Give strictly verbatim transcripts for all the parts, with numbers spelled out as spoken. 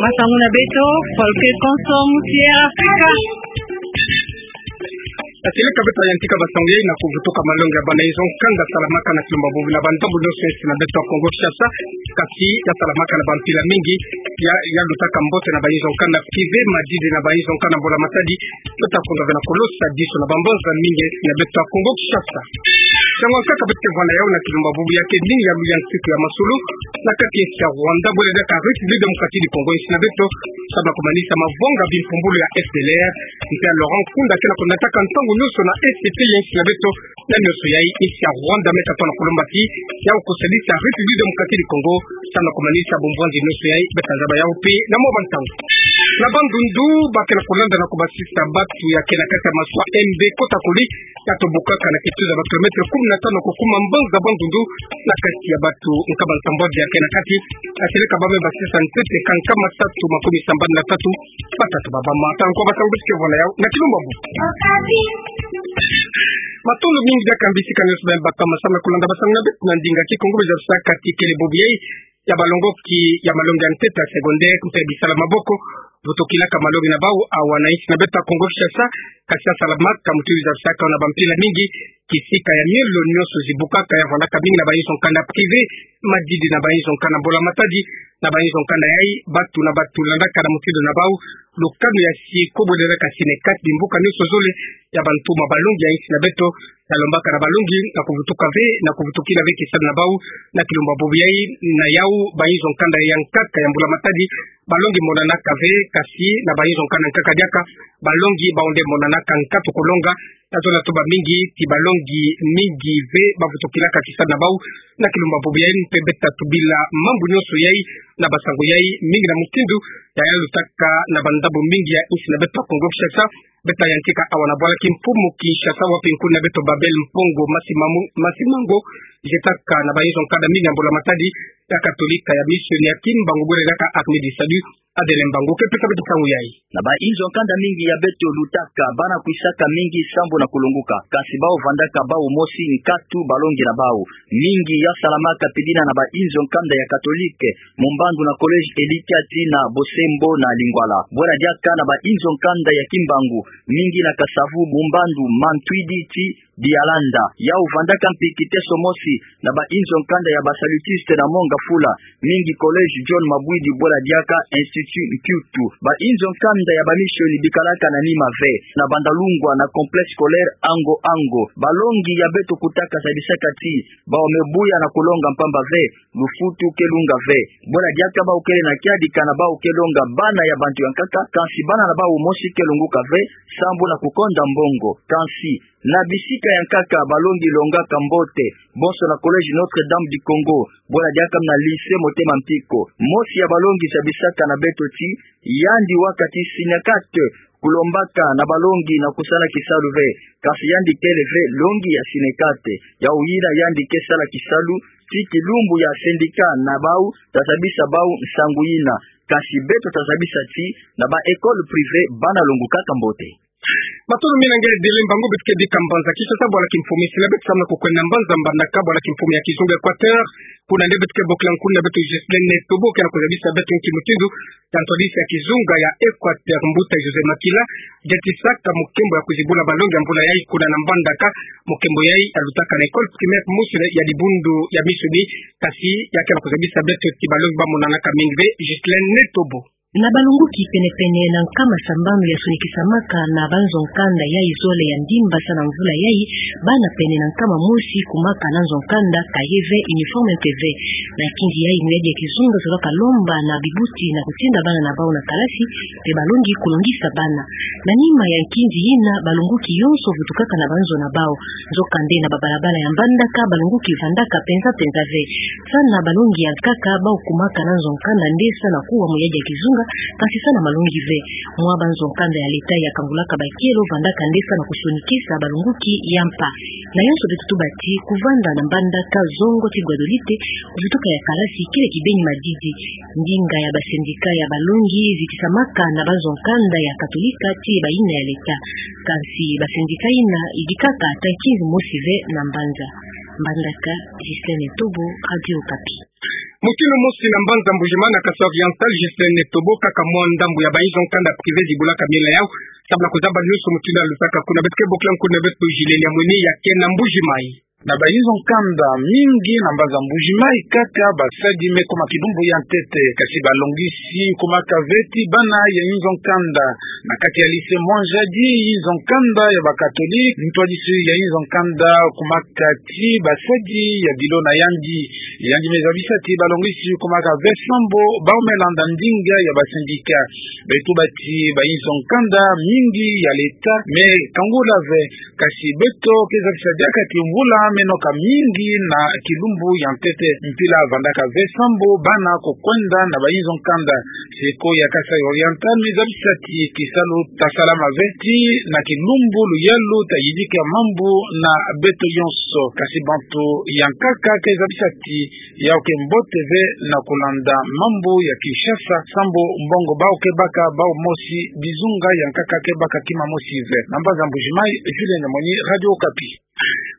Masangu na beto, Folklore Consort ya Afrika. Ateleka beto yantika basangu yai na kuvutuka malongi ya bana inzo nkanda salamaka na kilumbu bubu na bandambu nyonso ya insi na beto ya Kongo Kinshasa, kasi ya salamaka na bampila mingi, ya, ya lutaka mbote na bainzo nkanda privé, madidi na bainzo nkanda mbula matadi, beto kunda ve na kolosa diso na bambanza mingi ya insi na beto ya Kongo Kinshasa. Nsangu ya nkaka beto ke vwanda yau na kilumbu bubu ya ke nini ya luyantika ya masolo, na kati ya insi ya Rwanda, bwela diaka République Démocratique du Congo, insi na beto, samu na kumanisa mavanga bimpumbulu ya F D L R, mpe ya Laurent Nkunda ke na kunataka ntangu nyonso na S P ya insi na beto, na nyonso yai insi ya Rwanda me katuka na kulomba ti, yau kusalisa République Démocratique du Congo, samu na kumanisa bumvwanzi nyonso yai, beto zaba yau mpe, na mwa bantangu. Na Bandundu, ba ke na kulanda na kubasisa batu ya ke na kati ya maswa M B Kotakoli, ya tobokaka na kituza ba kilomètre kumi na tanu kukuma mbanza Bandundu, na kati ya batu nkama nsambwadi ya ke na kati, ateleka ba me basisa ntete ka nkama tatu makumi sambanu na tatu, batatu babama. Tala nkwa basangu beto ke vwanda yau na kilumbu bubu. Matondo mingi diaka mbisika nyonso ba me bakama samu na kulanda basangu na beto na ndinga Kikongo, beto zaba saka ti kele bubu yai ya balongoki ya malongi ya ntete ya secondaire mpe bisala maboko, vutukilaka malongi na bau awa na insi na beto ya Kongo Kinshasa, kasi ya salamaka mutindu zabisaka na bampila mingi, kisika ya miolo nyonso zibukaka ya vwandaka mingi na bainzo nkanda privé, madidi na bainzo nkanda mbula matadi, na bainzo nkanda yai, batu na batu landaka na mutindu na bau lukanu ya siko, bwela diaka Synecat, bimbuka nyonso zole ya bantu ma balongi ya insi na beto, ya lombaka na balongi na kuvutuka ve, na kuvutukila ve kisalu na bau, na kilumbu bubu yai, na yau bainzo nkanda ya nkaka ya mbula matadi, balongi monanaka ve, kasi na bainzo nkanda nkaka diaka, balongi bau nde monanaka nkatu kulonga, tazolaka tu ba mingi, ti balongi mingi ve bavutukilaka kisalu na bau, na kilumbu bubu yai mpe beto tubila mambu nyonso yai, na basangu yai, mingi na mutindu ya, ya lutaka na bandambu mingi ya insi na beto ya Kongo Kinshasa, beto yantika awa na bwala kimfumu Kinshasa, wapi nkuni na beto Babel Mpongo Masimamu-, Masimango, jetaka na bainzo nkanda mingi ya mbula matadi, ya Katolika ya Mission ya Kimbangu, bwela diaka Armée du Salut, Adele Mbango ke pesa beto nsangu yai. Na bainzo nkanda mingi ya beto lutaka, bana kwisaka mingi sambu na kulonguka, kasi bau vandaka bau mosi nkatu balongi na bau. Mingi ya salamaka pidina na bainzo nkanda ya Katolike, Mumbandu na Collège Elikia ti na Bosembo na Lingwala. Bwela diaka na bainzo nkanda ya Kimbangu, mingi na Kasavu, Mumbandu, Mantwidi ti Dialanda. Yau vandaka mpi kiteso mosi na bainzo nkanda ya ba Salutiste na Mont Ngafula, mingi Collège John Mabwidi, bwela diaka Institut Mpiutu. Bainzo nkanda ya ba Mission bikalaka na nima ve, na Bandalungwa na Complexe Scolaire Ango Ango. Balongi ya beto kutaka zabisaka ti, bau me buya na kulonga mpamba ve, lufutu ke lunga ve. Bwela diaka bau kele na kiadi kana bau ke longa bana ya bantu ya nkaka, kansi bana na bau mosi ke longuka ve, sambu na kukonda mbongo. Kansi, na bisika ya nkaka balongi longaka mbote, bonso na Collège Notre-Dame du Congo, bwela diaka mpe na Lycée Motema Mpiko. Mosi ya balongi zabisaka na beto ti, yandi waka ti Synecat, kulombaka na balongi na kusala kisalu ve, kansi yandi kele ve longi ya Synecat. Yau yina yandi ke sala kisalu, ti kilumbu ya syndicat na bau, tazabisa bau nsangu yina. Kansi beto tazabisa ti, na ba école privée bana longukaka mbote. Matondo mingi na nge Adele Mbango, beto ke bika mbanza Kinshasa, bwala kimfumu ya insi na beto samu na kukwenda mbanza Mbandaka, bwala kimfumu ya kizunga Équateur. Kuna nde beto ke bokila nkuni na beto Ghislaine Tobo, ke na kuzabisa beto nki mutindu ya ntwadisi ya kizunga ya Équateur, mbuta José Makila, jetisaka mukembo ya kuzibula balongi ya mbula yai kuna na Mbandaka, mukembo yai ya lutaka na école primaire mosi ya dibundu ya Mission, kasi ya ke na kuzabisa beto ti balongi bamonanaka mingi ve. Ghislaine Tobo. Na balongoki pene-pene na nkama sambanu ya sonikisamaka na banzo nkanda yai zole ya ndimba sa na mvula yai, bana pene na nkama mosi kumaka na nzo nkanda, cahier ve, uniforme mpe ve. Na nkinzi yai, muyadi ya kizunga zolaka lomba na bibuti na kutinda bana na bau na kalasi, mpe balongi kulongisa bana. Na nima ya nkinzi yina, balongoki yonso vutukaka na banzo na bau. Nzokande na babalabala ya Mbandaka, balongoki vandaka penza-penza ve. Sa na balongi ya nkaka, bau kumaka na nzo nkanda nde sa na kuwa muyadi ya kizunga, kansi sa na malongi ve. Mwa banzo nkanda ya leta ya kangulaka bakelo vandaka nde sa na kusonikisa balongoki ya mpa. Na yonso beto tuba ti, kuvanda na Mbandaka zongo ti Guadolite, kuvutuka ya kalasi kele kibeni madidi. Ndinga ya ba syndicat ya balongi zitisamaka na banzo nkanda ya Katolika ti bayina ya leta. Kansi ba syndicat yina yidikaka ata nkinzi mosi ve na mbanza. Mbandaka, Ghislaine Tobo, Radio Okapi. Mutindu mosi na mbanza Mbuji-Mayi na Kasai Oriental, Ghislain Etobo, kaka mwa ndambu ya bainzo nkanda privé zibulaka miela yau, sababu na kuzaba nyonso mutindu ya lutaka. Kuna beto ke bokila nkuna beto Julienne Amweni, ya kena Mbuji-Mayi. Na bainzo nkanda mingi na mbanza Mbuji-Mayi kaka basadi me kuma kilumbu ya ntete, kasi balongisi kumaka ve ti bana ya inzo nkanda. Na kati ya lycée Mwanjadi, inzo nkanda ya ba catholique, ntwadisi ya inzo nkanda kumaka ti basadi ya bilo na yandi. Yandi me zabisa ti balongisi kumaka ve sambo bau me landa ndinga ya ba syndicat. Beto bati bainzo nkanda mingi ya l'État me kangula ve, kasi beto ke zabisa diaka ti mvula me noka mingi na kilumbu ya ntete. Mpila vandaka ve sambo bana ko kwenda na bainzo nkanda. Seko ya Kasai Oriental me zabisa ti kisalu ta salama ve ti na kilumbu luyalu ta yidika mambu na beto yonso. Kasi bantu ya nkaka ke zabisa ti yau ke mbote ve na kulanda mambu ya Kinshasa, sambu mbongo bau ke baka bau mosi, bizunga ya nkaka ke baka kima mosi ve. Na mbanza Mbuji-Mayi, Julienne Amweni, Radio Okapi.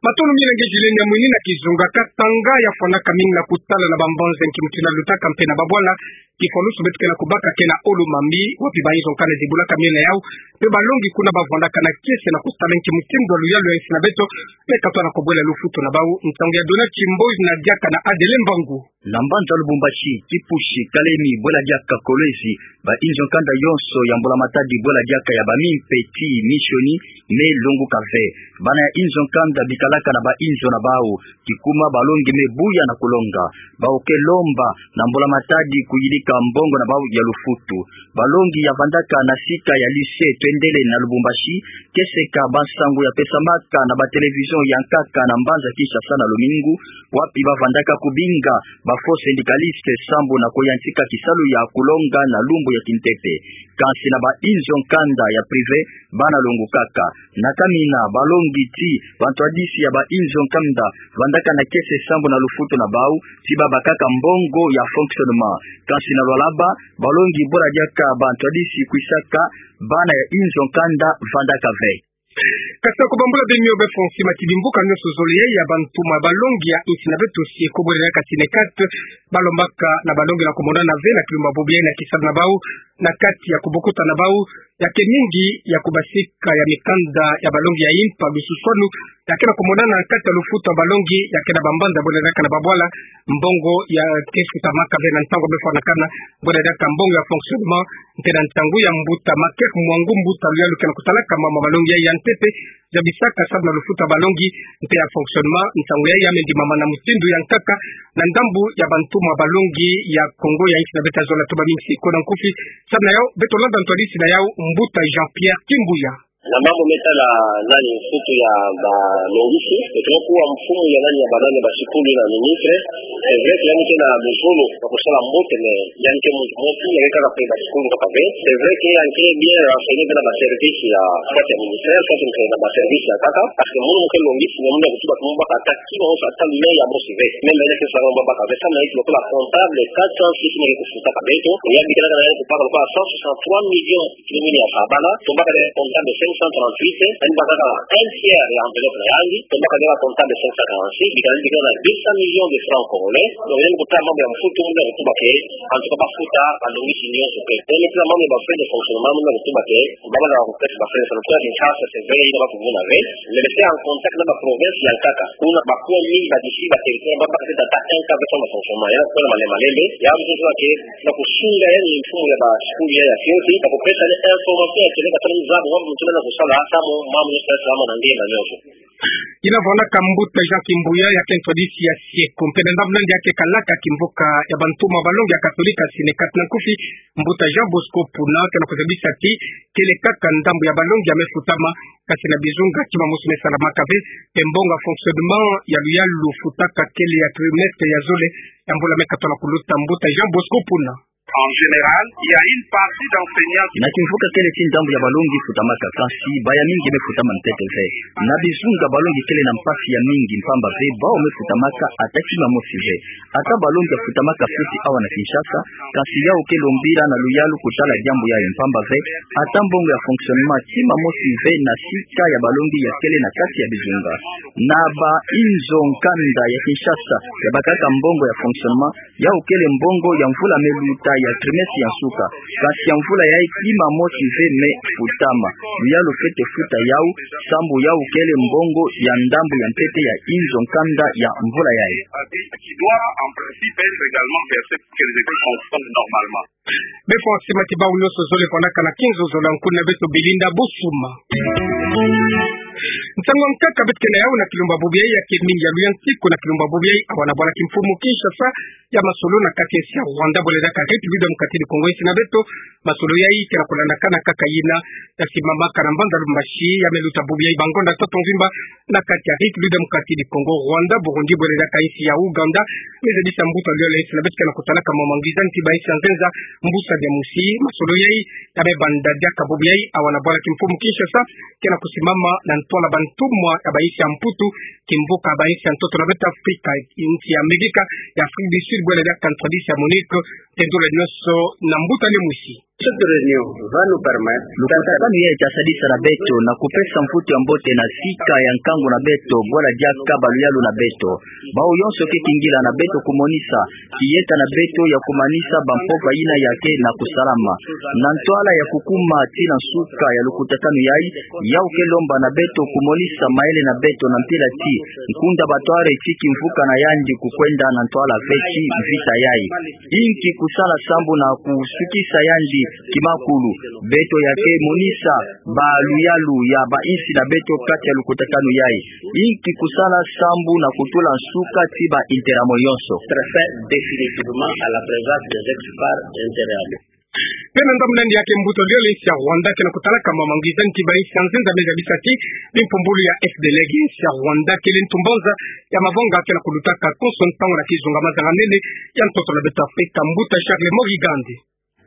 Matondo mingi na nge Julienne Amweni. Na kizunga, Katanga yafwanaka mingi na kutala na bambanza nki mutindu ya lutaka mpe na babwala. Kifwanusu beto ke na kubaka ke na Olomami, wapi bainzo nkanda zibulaka miela yau, mpe balongi kuna bavwandaka na kiese na kutala nki mutindu ya luyalu ya insi na beto me katwa na kubwela lufutu na bau. Nsangu ya Donald Kimboy na diaka na Adeline Mbangu. Na mbanza Lubumbashi, Kipushi, Kalemi, bwela diaka Kolwezi, bainzo nkanda yonso ya Mbula Matadi, bwela diaka ya ba mimpe ti misioni, me longuka ve. Bana ya inzo nkanda bikalaka na bainzo na bau, kikuma balongi me buya na kulonga. Bau ke lomba na Mbula Matadi kuyidika mbongo na bau ya lufutu. Balongi ya vandaka na sika ya lycée Twendele na Lubumbashi ke seka bansangu ya pesamaka na ba télévision ya nkaka na mbanza Kinshasa na lumingu, wapi bavandaka kubinga ba faux syndicalistes sambu na kuyantika kisalu ya kulonga na lumbu ya kintete. Kansi na bainzo nkanda ya privé, bana longukaka. Na kamina, balongi ti bantwadisi ya bainzo nkanda vandaka na kiese sambu na lufutu na bau, ti babakaka mbongo ya fonctionnement. Kansi na Lualaba, balongi bwela diaka bantwadisi kwisaka bana ya inzo nkanda vandaka ve. Kasi ko bambula beno yo be fonsi mati bimbuka nyonso zole ya bantuma balongi ya insi na beto, si ko bwela diaka Synecat, balombaka na balongi na kumonana ve na kilumbu bobo ya na kisalu na bau, na kati ya kubokuta na bau, ya ke mingi ya kubasika ya mikanda ya balongi ya impa, lususwanu ya ke na kumonana na kati ya lufutu ya balongi ya ke na bambanza bwela diaka na babwala, mbongo ya ke futamaka ve na ntangu befwanakana, bwela diaka mbongo ya fonctionnement, nte na ntangu ya mbuta Maker Mwangu, mbuta luyalu ke na kutalaka mama balongi ya, ya ntete, zabisaka sababu na lufutu ya balongi, mpe ya fonctionnement, ntangu ya ya me ndimama na mutindu ya nkaka, na ndambu ya bantuma balongi ya Kongo ya insi na beto. Zola tuba mingi, si ko na nkufi, sababu na yau, beto landa ntwadisi na yau, mbuta Jean-Pierre Kimbuya. Na mambu me tala nani, mfutu ya balongisi, beto kuwa mfumu ya nani, ya banani, basikulu na ministre, c'est vrai que yandi ke na luzolo ya kusala mbote, mais yandi ke muntu mosi, yandi ke kaka pe basikulu kaka ve. C'est vrai que yandi ke bien renseigné ve na ba service ya, soit ya ministère, soit na ba service ya nkaka, parce que munu mu ke longisi, munu ya kutuba ti mu baka ata kima mosi, ata lien ya mosi ve. Même yandi ke sala mu baka ve, samu na yandi lokola comptable, quatre cent six mille ke kufutaka beto, yandi ke na, na yandi kubaka lokola cent soixante-trois millions, kilo mili ya sabala, tombaka na comptable cinq cent trente-huit, yandi bakaka un tiers ya enveloppe na yandi, tombaka na comptable cinq cent quarante-six, bika yandi bika na deux cents millions de francs congolais. Donc, yandi kota mambu ya mfutu, muna kutuba ke, en tout cas, bafuta balongisi nyonso pe. Yandi kota mambu ya ba frais de fonctionnement, muna kutuba ke, babala kukesa ba frais de fonctionnement, Kinshasa, c'est vrai, yina bakumuna ve. Mais rester en contact na ba province ya nkaka, kuna bakuwa mingi ba disi ba territoire, babaka ata un quart de son ba fonctionnement, yandi kuna malembe malembe, ya mfutu wa ke, na kusunga yandi mfumu ya basikulu ya, ya fioti, na kupesa yandi information ya kele katani zaba, wa muntu na kusala, samu, mamu nyonso, samu na nge na nyonso. Yina vwandaka mbuta Jean Kimbuya, ya ke ntwadisi ya Synecat, mpe na ndambu nandi ya ke kalaka kimvuka ya bantuma balongi ya Katolika Synecat. Na nkufi, mbuta Jean Bosco Puna, ke na kuzabisa ti, kele kaka ndambu ya balongi ya me futama, kasi na bizunga kima mosi me salamaka ve, mpe mbongo ya fonctionnement ya luyalu futaka kele ya trimestre ya zole ya mbula me katala kuluta. Mbuta Jean Bosco Puna. En général, il y a une partie d'enseignants qui... Na kimvuka kele ti ndambu ya balongi futamaka, kansi bayamingi me futama ntete ve. Na bizunga balongi kele na mpasi ya mingi mpamba ve bawu me futamaka ata kima mosi ve. Ata balongi ya futamaka foti awa na Kinshasa, kansi yawu kele mbila na luyalu kotala diambu yayi mpamba ve, ata mbongo ya fonctionnement kima mosi ve na sika ya balongi ya kele na kati ya bizunga. Na bainzo nkanda ya Kinshasa, ya bakaka mbongo ya fonctionnement, yawu kele mbongo ya mvula me luta ya trimestre ya nsuka. Kansi ya mvula yayi kima mosi ve me futama. Luyalu fwete futa yawu, sambu yawu kele mbongo ya ndambu ya ntete ya inzo nkanda ya mvula yayi. Qui doit en principe être également versé pour que les écoles fonctionnent normalement. Be fwa sima ti bawu nyonso zole fwanakana kinzo zole ya nkuna beto Belinda Bosuma. Nsangu nkaka beto ke na yawu na kilumbu bubu yayi ya ke mingi ya luyantiku na kilumbu bubu yayi awa na bwala kimfumu Kinshasa ya masolo na kati ya insi ya Rwanda bwele diaka République Démocratique du Congo. Insi na beto, masolo yayi ke na kulandakana kaka yina ya simamaka na mbanza Lubumbashi ya me luta bubu yayi bangonda ntoto mvimba na kati ya République Démocratique du Congo, Rwanda, Burundi bwele diaka insi ya Ouganda. Me zabisa mbuta luyalu ya insi na beto ke na kutalaka mwa mangwizani ti bainsi ya nzenza mbusa dia mosi. Masolo yayi ya me banda diaka bubu yayi awa na bwala kimfumu Kinshasa, ke na kusimama na ntwala bantumwa ya bainsi ya Mputu, kimvuka bainsi ya ntoto na beto Afrika, insi ya Amerika, ya Afrique du Sud bwele diaka ntwadisi ya MONUC. Tendula nyonso na mbuta ni mosi. Cette réunion va nous permettre... Lukutakanu yayi ke sadisa na beto na kupesa mvutu ya mbote na sika ya nkangu na beto, bwele diaka baluyalu na beto. Bawu yonso ke kingila na beto kumonisa kiyeta na beto ya kumanisa bampova yina ya ke na kusalama. Na ntwala ya kukuma tii na nsuka ya lukutakanu yayi, yawu ke lomba na beto kumonisa mayele na beto na mpila ti nkunda batware ti kimvuka na yandi kukwenda na ntwala ve ti mvita yayi. Inki kusala sambu na kusukisa yandi kimakulu? Beto ya ke monisa baluyalu ya bainsi na beto kati ya lukutakanu yayi. Inki kusala sambu na kutula nsuka ti ba interamo yonso? Très définitivement à la présence des ex-FAR interamo. Pe na ndambu nandi ya ke mbuta luyalu ya insi ya Rwanda ke na kutalaka mwa mangwizani ti bainsi ya nzenza me zabisa ti bimpumbulu ya FDLR, insi ya Rwanda kele ntu mbanza ya mavanga ke na kulutaka konso ntangu na kizunga mazanga-nene ya ntoto na beto Afrika, mbuta Charles Morigande.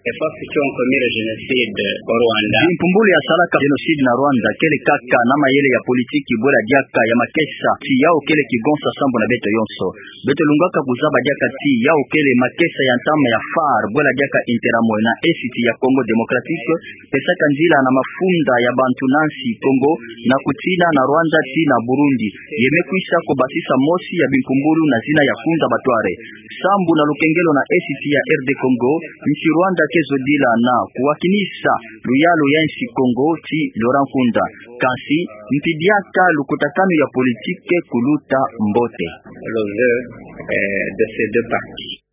Les forces qui ont commis le génocide au Rwanda. Bimpumbulu ya salaka génocide na Rwanda kele kaka na mayele ya politiki bwele diaka ya makesa ti yawu kele kigonsa sambu na beto yonso. Beto lungaka kuzaba diaka ti yawu kele makesa ya ntama ya FAR bwele diaka interamo na Est ya Congo Démocratique, pesaka nzila na mafunda ya bantu na nsi Congo, na kutina na Rwanda tii na Burundi. Ye me kwisa kubasisa mosi ya bimpumbulu na zina ya nkunda batware. Sambu na lukengelo na Est ya RD Congo, nsi Rwanda ke zodila na kuwakinisa luyalu ya nsi Congo ti Laurent Nkunda. Kansi, mpi diaka lukutakanu ya politiki kuluta mbote. Le vœu, euh, de ces deux parties.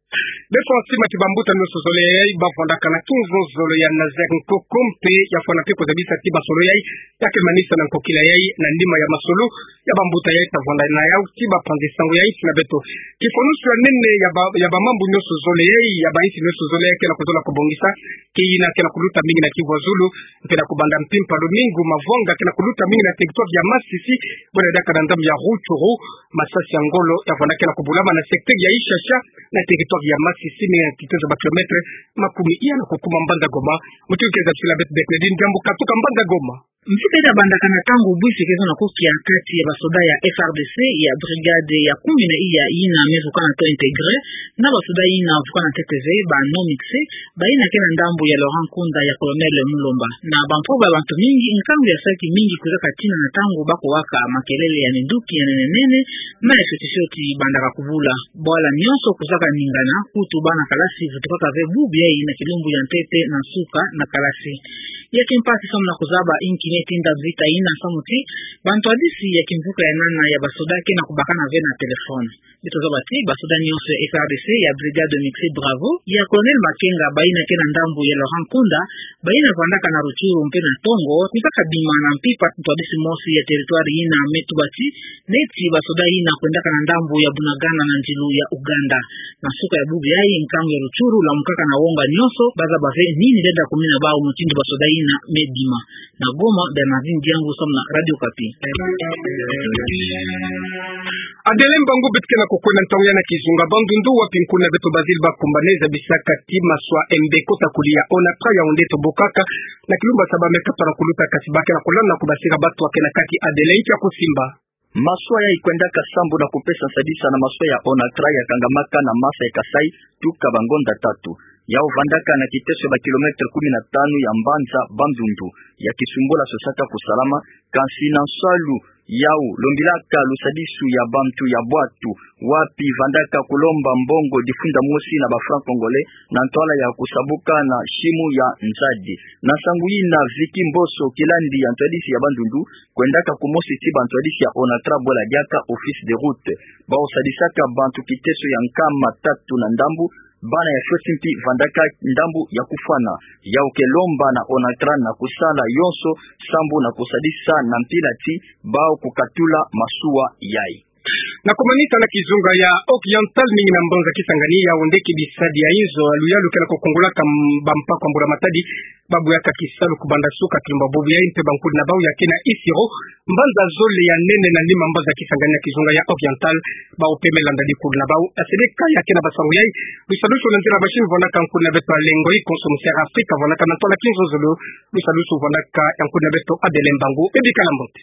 Be fwa sima ti bambuta nyonso zole yayi bafwandakana kinzo zole ya Nazaire Nkoko mpe ya fwana mpe kuzabisa ti masolo yayi ya ke manisa na nkokila yayi na nima ya masolo ya bambuta yayi tafwanda na yawu ti bapanzi sango ya insi na beto. Kifonusu ya nene ya ba, ya bamambu nyonso zole yayi, ya bainsi nyonso zole yayi ke na kuzola kubongisa, ke yina ke na kuluta mingi na Kivu ya Zulu, mpe na kubanda mpimpa lumingu mavanga ke na kuluta mingi na territoire ya Masisi, bwele diaka na ndambu ya Rutshuru, masasi ya ngolo ya fwana ke na kubulama na secteur ya Ishasha, na territoire ya Masisi, mingi na kitozo ba kilomètre makumi iya na kukuma mbanza Goma. Mutindu ke zabisila beto Bernadine Diambu katuka mbanza Goma. Mvita ita bandakana ntangu bwisi ke zo na kukia kati ya basoda ya FARDC ya brigade ya kumi na iya yina me vukana to intégré, na basoda yina vukana ntete ve ba non mixés, bayina ke na ndambu ya Laurent Nkunda ya Colonel Mulumba. Na bampova ya bantu mingi, nkangu ya saki mingi kwiza katina na ntangu bakowaka makelele ya minduki ya nene nene, na ya fioti fioti bandaka kubula. Bwala nyonso kwizaka ningana, kutu bana kalasi vutukaka ve bubu yayi na kilumbu ya ntete na nsuka na kalasi. Ya kimpasi samu na kuzaba inki ne tinda vita yina samu ti bantwadisi ya kimvuka ya nana ya basoda ke na kubakana ve na téléphone. Beto zaba ti basoda nyonso ya FARDC ya brigade mixée Bravo ya Colonel Makenga, bayina ke na ndambu ya Laurent Nkunda, bayina vandaka na Rutshuru mpe na Tongo, kwizaka bima na mpimpa ntwadisi mosi ya territoire yina me tuba ti neti basoda yina kwendaka na ndambu ya Bunagana na ndilu ya Ouganda. Na nsuka ya bubu yayi, nkangu ya Rutshuru lamukaka na wonga nyonso, bazaba ve nini lenda kumina bawu mutindu basoda yina na Medima. Na Goma, Bernardine Diangu, somo na Radio Okapi. Adelin Mbangu beto ke na kukwenda ntangu ya na kizunga Bandundu, wapi nkuna beto Basile Bakumbane zabisaka ti maswa mbe kota kuli ya ONATRAH ya onde tobokaka na kilumbu saba me katona kuluta, kasi ba ke na kulanda kubasira batu wa ke na kati Adelin. Nkia kusimba? Maswa yai kwendaka sambu na kupesa nsadisa na maswa ya ONATRAH ya kangamaka na masa ya Kasaï tuka bangonda tatu. Yau vandaka na kiteso ya ba kilomètre kumi na tanu ya mbanza Bandundu, ya kisumbula sosaka kusalama, kansi na nsalu yau lombilaka lusadisu ya bantu ya bwatu, wapi vandaka kulomba mbongo difunda mosi na ba francs congolais, na ntwala ya kusabuka na simu ya nzadi. Na nsangu yina, Vicky Mboso, kilandi ya ntwadisi ya Bandundu, kwendaka kumosi ti ba ntwadisi ya ONATRAH bwela diaka Office des routes. Bau sadisaka bantu kiteso ya nkama tatu na ndambu, bana ya fioti mpi vandaka ndambu ya kufwana. Yau ke lomba na ONATRAH na kusala yonso sambu na kusadisa na mpila ti bau kukatula maswa yai. Na kumanisa na kizunga ya Oriental, mingi na mbanza Kisangani, yau nde ke bisadi ya inzo ya luyalu ke na kukungulaka m-, bampako ya Mbula Matadi, ba buyaka kisalu kubanda suka kilumbu bobo yai mpe bankudi na bau ya ke na Isiro, mbanza zole ya nene na lima mbanza Kisangani na kizunga ya Oriental, bau pemela ndadi kulu na bau. Asede ka ya ke na basangu yai, lusalusu na nzila machine vandaka nkuna beto Alengo Ikonso, Mister Afrika vandaka na ntwala kinzonzolo, lusalusu vandaka ya nkuna beto Adelin Mbangu. Bebikala mbote.